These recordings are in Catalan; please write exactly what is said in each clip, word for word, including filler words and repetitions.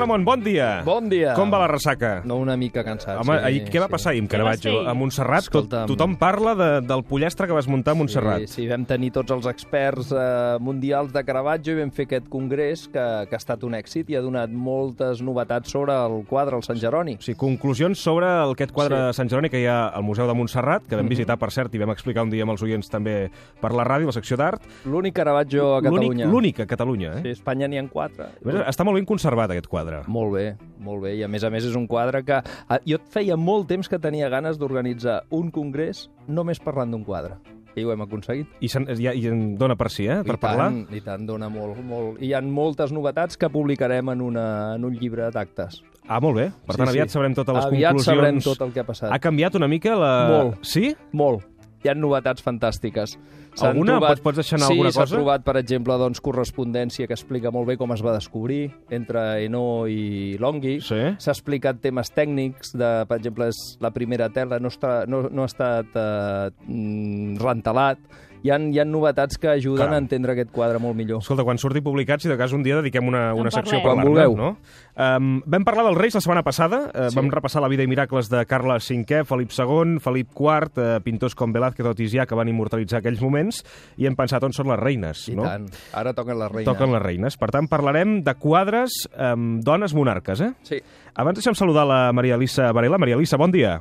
Ramon, bon dia. Bon dia. Com va la ressaca? No, una mica cansat. Home, sí, ahir, què va sí. passar ahir amb Caravaggio? A Montserrat, tot, Escolta'm. tothom parla de, del pollastre que vas muntar a Montserrat. Sí, sí, vam tenir tots els experts eh, mundials de Caravaggio i vam fer aquest congrés que, que ha estat un èxit i ha donat moltes novetats sobre el quadre, el Sant Jeroni. Sí, conclusions sobre el, aquest quadre Sí. de Sant Jeroni que hi ha al Museu de Montserrat, que vam visitar, per cert, i vam explicar un dia amb els oients també per la ràdio, la secció d'art. L'únic Caravaggio a Catalunya. L'únic a Catalunya, eh? Sí, a Espanya n'hi ha quatre. A més, està molt ben conservat, aquest quadre. Molt bé, molt bé. I a més a més és un quadre que... ah, Jo feia molt temps que tenia ganes d'organitzar un congrés només parlant d'un quadre. I ho hem aconseguit. I, sen, i, i en dona per si, eh? Per I parlar. tant, I tant, dona molt, molt. I hi ha moltes novetats que publicarem en, una, en un llibre d'actes. Ah, molt bé. Per tant, Sí, aviat sí. sabrem totes les Aviat conclusions. sabrem tot el que ha passat. Ha canviat una mica la... Molt. Sí? Molt. Hi ha novetats fantàstites. S'han Alguna? Trobat... Pots, pots deixar anar sí, alguna cosa? Sí, s'ha trobat, per exemple, doncs, correspondència que explica molt bé com es va descobrir entre Hainaut i Longhi. Sí. S'ha explicat temes tècnics, de, per exemple, és la primera tela no, està, no, no ha estat eh, mm, rentelat. Hi ha, hi ha novetats que ajuden Caram. a entendre aquest quadre molt millor. Escolta, quan surti publicat, si de cas un dia dediquem una, una secció a Quan parlar-ne, vulgueu. no? Um, vam parlar dels Reis la setmana passada, uh, Sí. vam repassar la vida i miracles de Carles cinquè, Felip segon, Felip quart, uh, pintors com Velázquez o Tizià que van immortalitzar aquells moments, i hem pensat on són les reines, I no? tant. Ara toquen les reines. Toquen les reines. Per tant, parlarem de quadres amb dones monarques, eh? Sí. Abans deixem saludar la Maria Elisa Varela. Maria Elisa, bon dia.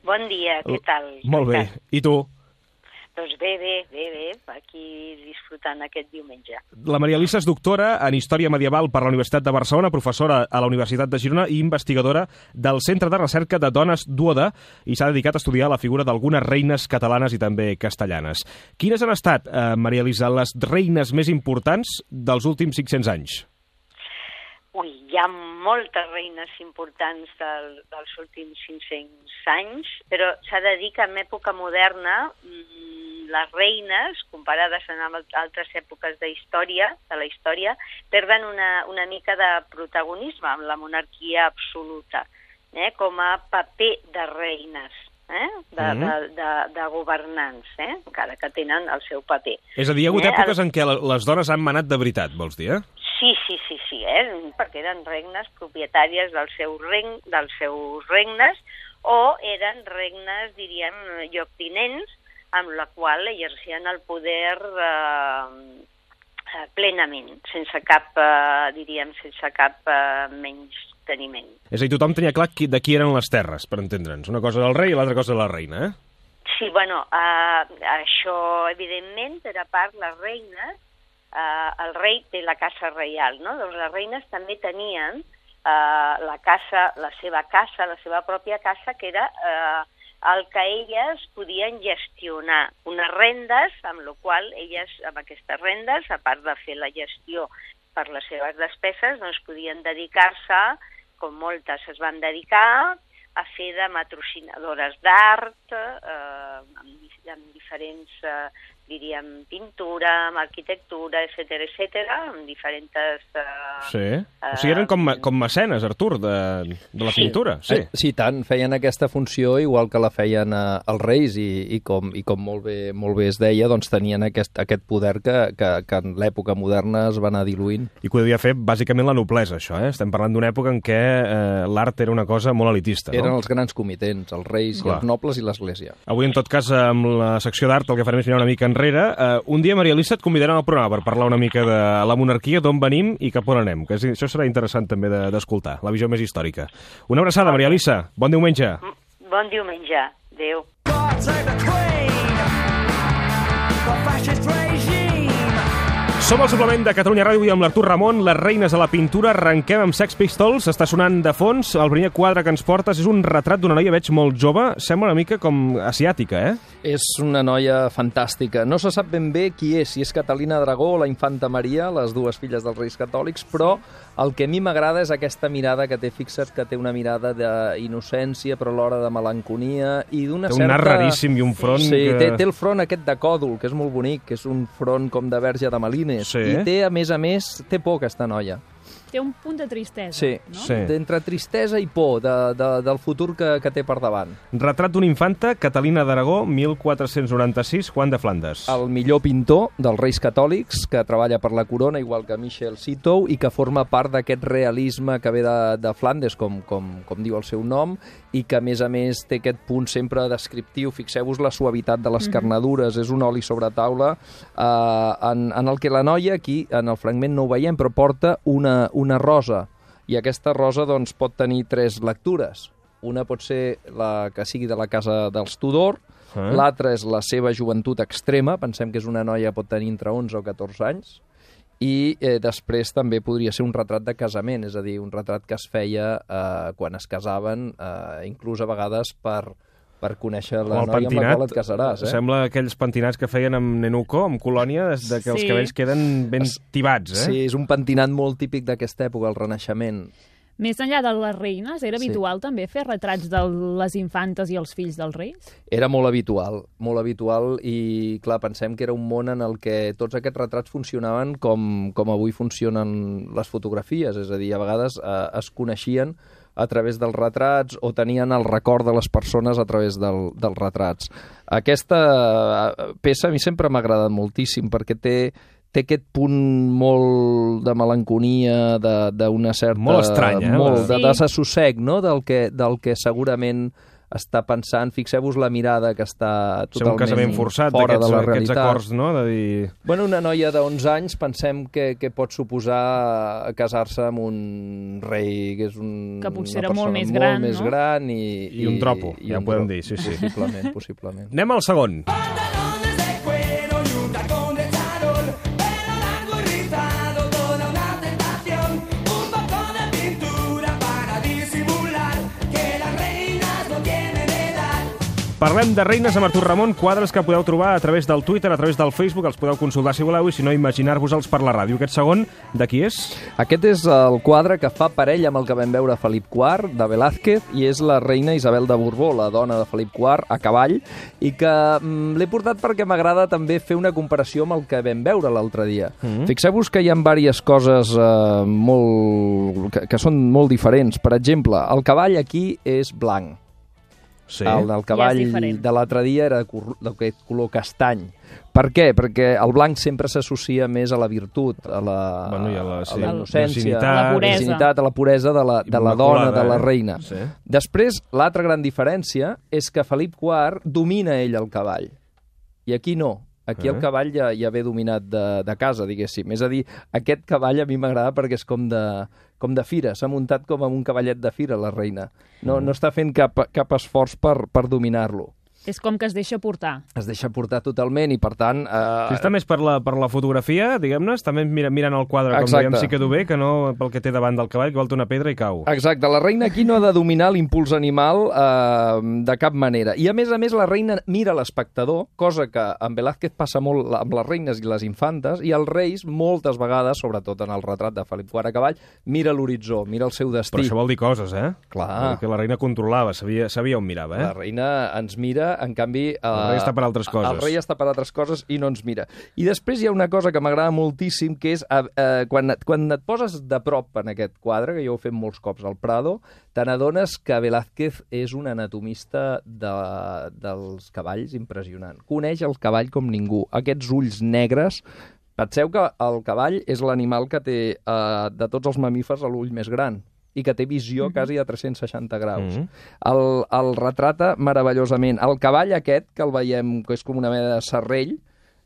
Bon dia, què tal? Molt bé. I tu? Doncs bé, bé, bé, bé, aquí disfrutant aquest diumenge. La Maria Elisa és doctora en Història Medieval per la Universitat de Barcelona, professora a la Universitat de Girona i investigadora del Centre de Recerca de Dones Duoda, i s'ha dedicat a estudiar la figura d'algunes reines catalanes i també castellanes. Quines han estat, eh, Maria Elisa, les reines més importants dels últims cinc-cents anys? Ui, hi ha moltes reines importants del, dels últims cinc-cents anys, però s'ha de dir que en època moderna les reines, comparades amb altres èpoques de història, de la història, perden una, una mica de protagonisme amb la monarquia absoluta, eh, com a paper de reines, eh, de, mm. de, de, de governants, eh, encara que tenen el seu paper. És a dir, hi ha hagut eh, èpoques en què les dones han manat de veritat, vols dir, eh? Sí, sí, sí, sí, eh? Perquè eren regnes propietàries dels seus, reng, dels seus regnes o eren regnes, diríem, lloctinents, amb la qual exercien el poder eh, plenament, sense cap, eh, diríem, sense cap eh, menys teniment. És a dir, tothom tenia clar qui, de qui eren les terres, per entendre'ns. Una cosa del rei i l'altra cosa de la reina, eh? Sí, bueno, eh, això, evidentment, per a part, les reines, eh, el rei té la casa reial, no? Doncs les reines també tenien eh, la casa, la seva casa, la seva pròpia casa, que era eh, el que elles podien gestionar, unes rendes, amb la qual elles, amb aquestes rendes, a part de fer la gestió per les seves despeses, doncs podien dedicar-se, com moltes es van dedicar, a fer de matrocinadores d'art, eh, amb, amb diferents, eh, diríem, pintura, amb arquitectura, etcètera, etcètera, amb diferents... Eh, sí, o sigui, eren com, com mecenes, Artur, de, de la sí. pintura. Sí, Eh, sí, tant, feien aquesta funció igual que la feien eh, els reis i, i, com, i com molt bé, molt bé es deia, doncs tenien aquest, aquest poder que, que, que en l'època moderna es va anar diluint. I que ho devia fer bàsicament la noblesa, això, eh? Estem parlant d'una època en què eh, l'art era una cosa molt elitista, no? Eren els grans comitents, els reis Clar. i els nobles i l'Església. Avui, en tot cas, amb la secció d'art, el que farem és mirar una mica enrere. Uh, un dia, Maria Elisa, et convidarem al programa per parlar una mica de la monarquia, d'on venim i cap on anem, que això serà interessant també d'escoltar, de, la visió més històrica. Una abraçada, Maria Elisa. Bon diumenge. Bon diumenge. Adéu. Som al suplement de Catalunya Ràdio i amb l'Artur Ramon, les reines de la pintura. Arrenquem amb Sex Pistols, està sonant de fons. El primer quadre que ens portes és un retrat d'una noia, veig, molt jove. Sembla una mica com asiàtica, eh? És una noia fantàstica. No se sap ben bé qui és, si és Catalina Dragó o la infanta Maria, les dues filles dels Reis Catòlics, però el que a mi m'agrada és aquesta mirada que té, fixa't, que té una mirada d'innocència, però alhora de melanconia i d'una certa... Té un nas raríssim i un front sí, que... té, té el front aquest de còdol, que és molt bonic, que és un front com de verge de Malines. Sí. I té, a més a més, té por aquesta noia. té un punt de tristesa, sí, no? Sí. d'entre tristesa i por de, de, del futur que, que té per davant. Retrat d'una infanta, Catalina d'Aragó, mil quatre-cents noranta-sis, Juan de Flandes. El millor pintor dels Reis Catòlics, que treballa per la corona, igual que Michel Sitow, i que forma part d'aquest realisme que ve de, de Flandes, com, com, com diu el seu nom, i que, a més a més, té aquest punt sempre descriptiu. Fixeu-vos la suavitat de les carnadures, és un oli sobre taula, eh, en, en el que la noia, aquí, en el fragment no ho veiem, però porta una, una rosa, i aquesta rosa doncs, pot tenir tres lectures. Una pot ser la que sigui de la casa dels Tudor, Eh? l'altra és la seva joventut extrema, pensem que és una noia que pot tenir entre onze o catorze anys, i eh, després també podria ser un retrat de casament, és a dir, un retrat que es feia eh, quan es casaven, eh, inclús a vegades per, per conèixer la O el noia amb la pentinat, qual et casaràs. Eh? sembla aquells pentinats que feien amb Nenuco, amb Colònia, des de que els Sí. cabells queden ben tibats, eh? Sí, és un pentinat molt típic d'aquesta època, el Renaixement. Més enllà de les reines, era Sí. habitual també fer retrats de les infantes i els fills dels reis? Era molt habitual, molt habitual, i clar, pensem que era un món en el que tots aquests retrats funcionaven com, com avui funcionen les fotografies, és a dir, a vegades eh, es coneixien a través dels retrats o tenien el record de les persones a través del, dels retrats. Aquesta peça a mi sempre m'ha agradat moltíssim perquè té té aquest punt molt de melanconia, d'una certa... Molt estrany, eh? Molt de Sí. desassossec, no?, del que, del que segurament està pensant. Fixeu-vos la mirada que està Ser un totalment casament forçat, fora de d'aquests la aquests realitat. acords, no?, de dir... Bueno, una noia d'onze anys pensem que, que pot suposar casar-se amb un rei, que és un, Que potser una era molt persona més gran, molt més no? gran i, I un dropo, i ja un ho podem dropo. dir, sí, sí. Possiblement, possiblement. Anem al segon. Pantalones de cuero y un tacón de charol, pelo largo y rizado, toda una tentación, un poco de pintura para disimular que las reinas no tienen edad. Parlem de reines amb Artur Ramon, quadres que podeu trobar a través del Twitter, a través del Facebook, els podeu consultar si voleu, i si no, imaginar-vos-els per la ràdio. Aquest segon, de qui és? Aquest és el quadre que fa parella amb el que vam veure a Felip quart, de Velázquez, i és la reina Isabel de Borbó, la dona de Felip quart, a cavall, i que mm, l'he portat perquè m'agrada també fer una comparació amb el que vam veure l'altre dia. Mm-hmm. Fixeu-vos que hi ha diverses coses eh, molt... Que, que són molt diferents. Per exemple, el cavall aquí és blanc. Sí. El del cavall Ja és diferent. de l'altre dia era d'aquest color castany. Per què? Perquè el blanc sempre s'associa més a la virtut, a la, Bueno, i a la- sí, a la innocència, virginitat. A la puresa. virginitat, a la puresa de la, de la Immaculada, dona, de la eh? reina. Sí. Després, l'altra gran diferència és que Felip quart domina ell el cavall. I aquí no. Aquí Eh? el cavall ja, ja ve dominat de, de casa, diguéssim. És a dir, aquest cavall a mi m'agrada perquè és com de, com de fira. S'ha muntat com amb un cavallet de fira, la reina. No, no està fent cap, cap esforç per, per dominar-lo. És com que es deixa portar. Es deixa portar totalment i, per tant... Eh, Si està més per la, per la fotografia, diguem-ne, està més mira, mirant el quadre, com Exacte. dèiem, sí que du bé, que no pel que té davant del cavall, que volta una pedra i cau. Exacte, la reina aquí no ha de dominar l'impuls animal eh, de cap manera. I, a més a més, la reina mira l'espectador, cosa que en Velázquez passa molt amb les reines i les infantes, i els reis, moltes vegades, sobretot en el retrat de Felip quart a cavall, mira l'horitzó, mira el seu destí. Però això vol dir coses, eh? Clar. Perquè la reina controlava, sabia, sabia on mirava, eh? La reina ens mira, en canvi... Eh, El rei està per altres coses. El rei està per altres coses i no ens mira. I després hi ha una cosa que m'agrada moltíssim, que és eh, eh, quan, et, quan et poses de prop en aquest quadre, que jo ho he fet molts cops al Prado, te n'adones que Velázquez és un anatomista de, dels cavalls impressionant. Coneix el cavall com ningú. Aquests ulls negres... Penseu que el cavall és l'animal que té, eh, de tots els mamífers, l'ull més gran i que té visió Mhm. quasi a tres-cents seixanta graus. Mhm. El, el retrata meravellosament. El cavall aquest, que el veiem, que és com una mena de serrell,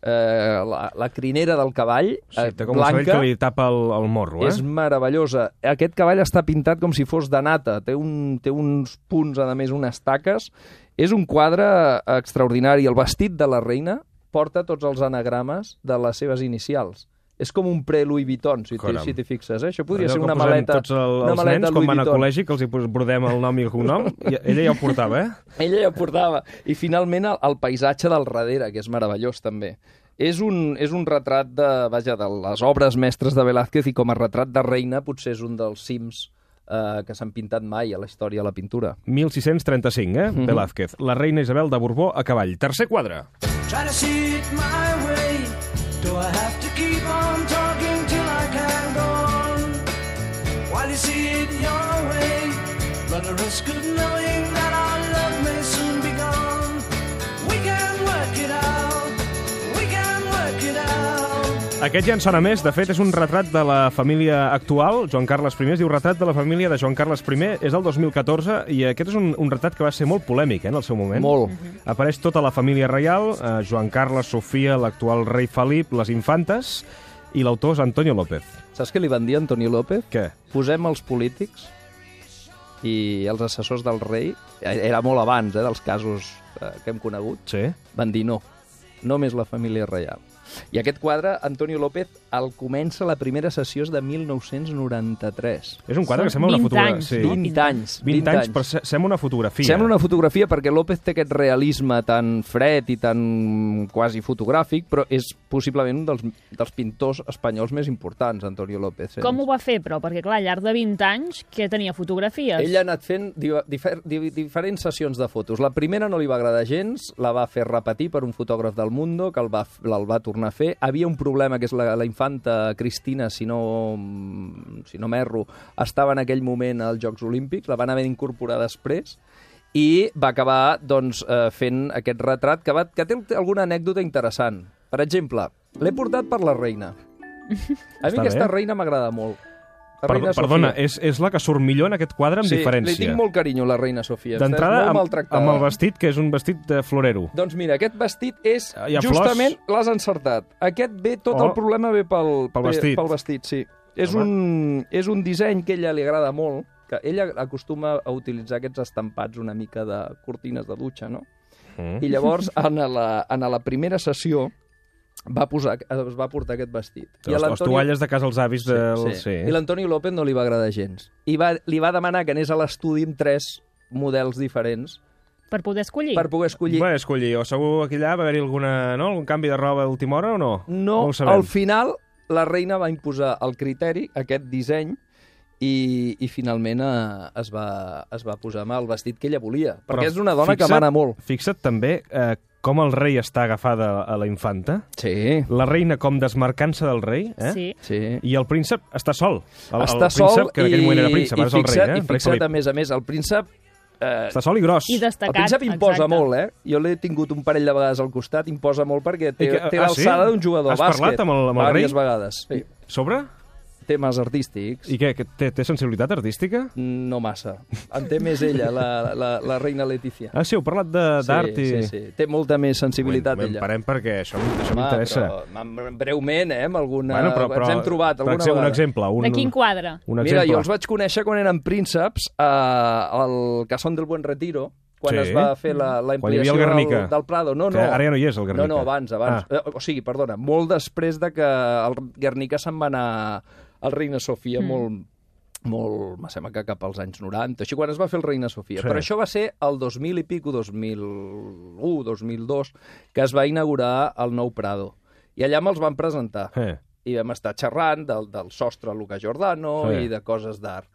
eh, la, la crinera del cavall, Sí, eh, té com un cervell blanca, que li tapa el, el morro, eh? és meravellosa. Aquest cavall està pintat com si fos de nata, té, un, té uns punts, a més, unes taques. És un quadre extraordinari. El vestit de la reina porta tots els anagrames de les seves inicials. És com un pre-Louis Vuitton, si Caram. t'hi si fixes. Eh? Això podria Allò ser que una posem maleta, tots el, una els maleta nens, quan Louis van a Vuitton. col·legi, que els hi pos- brodem el nom i el cognom, i ella ja ho portava, eh? Ella ja ho portava. I finalment el, el paisatge del darrere, que és meravellós també. És un, és un retrat de, vaja, de les obres mestres de Velázquez, i com a retrat de reina potser és un dels cims eh, que s'han pintat mai a la història de la pintura. mil sis-cents trenta-cinc, eh? Mhm. Velázquez. La reina Isabel de Borbó a cavall. Tercer quadre. Try to see it my way. Do I have to keep on talking till I can go on? see it your way. Run the risk of knowing that our love may soon be gone. We can work it out, we can work it out. Aquest ja en sona més. De fet, és un retrat de la família actual, Joan Carles I. Es diu Retrat de la família de Joan Carles I. És del dos mil catorze i aquest és un, un retrat que va ser molt polèmic eh, en el seu moment. Molt. Apareix tota la família reial, eh, Joan Carles, Sofia, l'actual rei Felip, les infantes, i l'autor és Antonio López. Saps què li van dir a Antonio López? Què? Posem els polítics i els assessors del rei, era molt abans eh, dels casos eh, que hem conegut, Sí. van dir no, només la família reial. I aquest quadre, Antonio López, el comença la primera sessió és de mil nou-cents noranta-tres. És un quadre que sembla una vint fotografia. anys, Sí. no? vint anys. vint anys, però se- sembla una fotografia. Sembla una fotografia perquè López té aquest realisme tan fred i tan quasi fotogràfic, però és possiblement un dels, dels pintors espanyols més importants, Antonio López. Eh? Com ho va fer, però? Perquè, clar, al llarg de vint anys, que tenia fotografies? Ell ha anat fent diver, difer, di- diferents sessions de fotos. La primera no li va agradar gens, la va fer repetir per un fotògraf del Mundo, que el va, el va tornar a fer. Havia un problema, que és la, la infanta Cristina, si no, si no m'erro, estava en aquell moment als Jocs Olímpics, la van haver d'incorporar després, i va acabar doncs, eh, fent aquest retrat, que, va, que té alguna anècdota interessant. Per exemple, l'he portat per la reina. A mi Està aquesta bé. reina m'agrada molt. La Perdó, reina perdona, Sofia. és, és la que surt millor en aquest quadre amb Sí, diferència. li tinc molt carinyo, la reina Sofia. D'entrada, Està molt amb, maltractada. amb el vestit, que és un vestit de florero. Doncs mira, aquest vestit és... Hi ha justament flors? l'has encertat. Aquest ve, tot Oh. el problema ve pel, Pel ve- vestit. Pel vestit, sí. És Home. un, és un disseny que a ella li agrada molt, que ella acostuma a utilitzar aquests estampats una mica de cortines de dutxa, no? Mm. I llavors, en la, en la primera sessió, va posar, es va portar aquest vestit. I a Les, les l'Antonio- tovalles de casa als avis del... Sí, sí. I l'Antonio López no li va agradar gens. I va, li va demanar que anés a l'estudi amb tres models diferents Per poder escollir? per poder escollir. Bé, escollir, o segur aquí allà va haver-hi alguna, no? algun canvi de roba a última hora o no? No, ho sabem. al final la reina va imposar el criteri, aquest disseny, i, i finalment eh, es, va, es va posar amb el vestit que ella volia. Perquè Però és una dona fixa't- que mana molt. Fixa't també eh, com el rei està agafada a la infanta, Sí. la reina com desmarcant-se del rei, eh? Sí. Sí. I el príncep està sol. El, Està el sol príncep, que en aquell i, moment era príncep, i ara és el fixa't, rei, eh? i El rei fixa't, Felip. a més a més, el príncep... Eh, Està sol i gros. I el destacat, príncep imposa exacte. molt, eh? Jo l'he tingut un parell de vegades al costat, imposa molt perquè té, I que- té ah, l'alçada sí? d'un jugador Has de bàsquet. parlat amb el- amb el rei? Vàries vegades. Sí. Sobre? Temes artístics. I què? Que té, té sensibilitat artística? No massa. En té més ella, la, la, la reina Letícia. Ah, sí, heu parlat de- d'art sí, i... Sí, sí. Té molta més sensibilitat, Bueno, ella. parem perquè això, això Home, m'interessa. però, m- breument, eh, amb alguna... Bueno, però, però, ens hem trobat per alguna exemple, un vegada. exemple. Un, De quin quadre? Un Mira, exemple. jo els vaig conèixer quan eren prínceps eh, al Casón del Buen Retiro, quan Sí. es va fer la, la Quan hi havia ampliació el Guernica. del, del Prado. No, Que no. ara ja no hi és, el Guernica. No, no, abans, abans. Ah. Eh, O sigui, perdona, molt després de que el Guernica se'n va anar al Reina Sofia, mm. molt, molt, me sembla que cap als anys noranta, així quan es va fer el Reina Sofia. Sí. Però això va ser el dos mil i pico, dos mil u, dos mil dos, que es va inaugurar el nou Prado. I allà me'ls van presentar. Eh. I vam estar xerrant del, del sostre Luca Giordano Sí. i de coses d'art.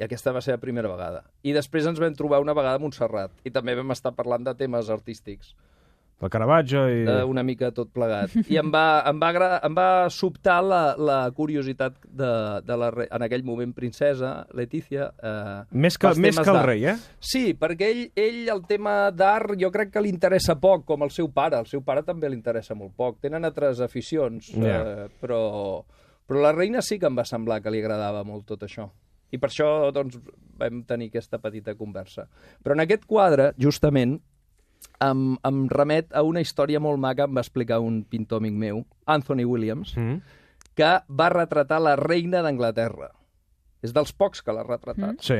I aquesta va ser la primera vegada. I després ens vam trobar una vegada a Montserrat. I també vam estar parlant de temes artístics. El Caravaggio i... Eh, una mica tot plegat. I em va, em va, agradar, em va sobtar la, la curiositat de, de la, re- en aquell moment princesa, Letícia. Eh, Més que, pels més temes que el d'art. rei, eh? Sí, perquè ell, ell el tema d'art jo crec que li interessa poc, com el seu pare. El seu pare també li interessa molt poc. Tenen altres aficions, Ja. eh, però, però la reina sí que em va semblar que li agradava molt tot això. I per això doncs, vam tenir aquesta petita conversa. Però en aquest quadre, justament, em, em remet a una història molt maca, em va explicar un pintor amic meu, Anthony Williams, Mm. que va retratar la reina d'Anglaterra. És dels pocs que l'ha retratat. Mm. Sí.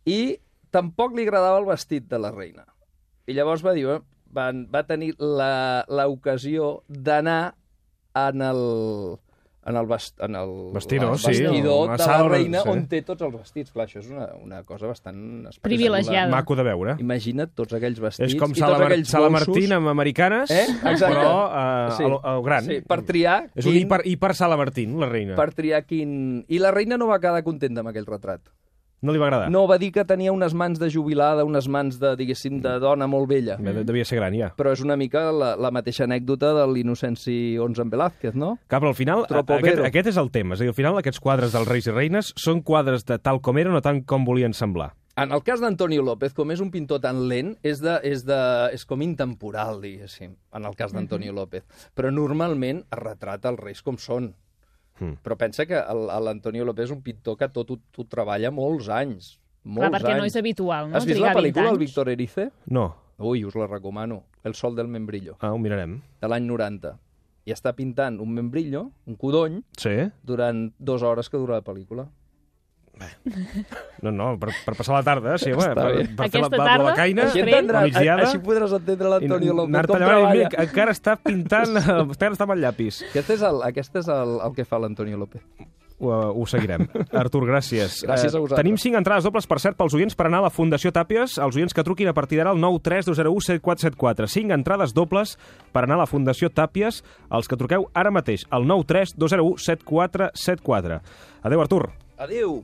I tampoc li agradava el vestit de la reina. I llavors va dir, eh, van, va tenir la- l'ocasió d'anar en el, en el, vest, en el, Vestidor, el sí, vestidor una de la sala, reina sí. on té tots els vestits. Clar, això és una, una cosa bastant espectacular. Privilegiada. Maco de veure. Imagina't tots aquells vestits És com i Sala, tots Mar aquells Sala bolsos. Martín amb americanes, Eh? Exacte. però eh, Sí. al, al gran. Sí, per triar És un quin- hiper, hiper Sala Martín, la reina. per triar quin... I la reina no va quedar contenta amb aquell retrat. No li va agradar? No, va dir que tenia unes mans de jubilada, unes mans de, diguéssim, de dona molt vella. De- Devia ser gran, ja. Però és una mica la, la mateixa anècdota de l'Innocenci onze en Velázquez, no? Clar, però al final, Troppo aquest, vero. aquest és el tema. És a dir, al final aquests quadres dels reis i reines són quadres de tal com eren o tant com volien semblar. En el cas d'Antonio López, com és un pintor tan lent, és, de, és, de, és com intemporal, diguéssim, en el cas d'Antonio López. Però normalment es retrata els reis com són. Mm. Però pensa que el- l'Antonio López és un pintor que tot ho, ho treballa molts anys. Molts Clar, perquè anys. no és habitual, no? Has vist Trigar la vint pel·lícula El anys. Víctor Erice? No. Ui, us la recomano. El sol del membrillo, Ah, ho mirarem. de l'any noranta. I està pintant un membrillo, un codony, Sí? durant dues hores que dura la pel·lícula. No, no, per, per passar la tarda, sí, home, Està per, bé. per fer la, Aquesta la, tarda, la caina, Així, Després, entendràs, la migdiada, així podràs entendre l'Antonio i López anar-te com llevant i treballa. mira, encara està pintant, encara està amb el llapis. Aquest és el, aquest és el, el que fa l'Antonio López. Ho, ho seguirem. Artur, gràcies. Gràcies a vosaltres. Tenim cinc entrades dobles, per cert, pels oients per anar a la Fundació Tàpies, els oients que truquin a partir d'ara al nou tres dos zero u set quatre set quatre. Cinc entrades dobles per anar a la Fundació Tàpies, els que truqueu ara mateix, al nou tres dos zero u set quatre set quatre. Adéu, Artur. Adéu.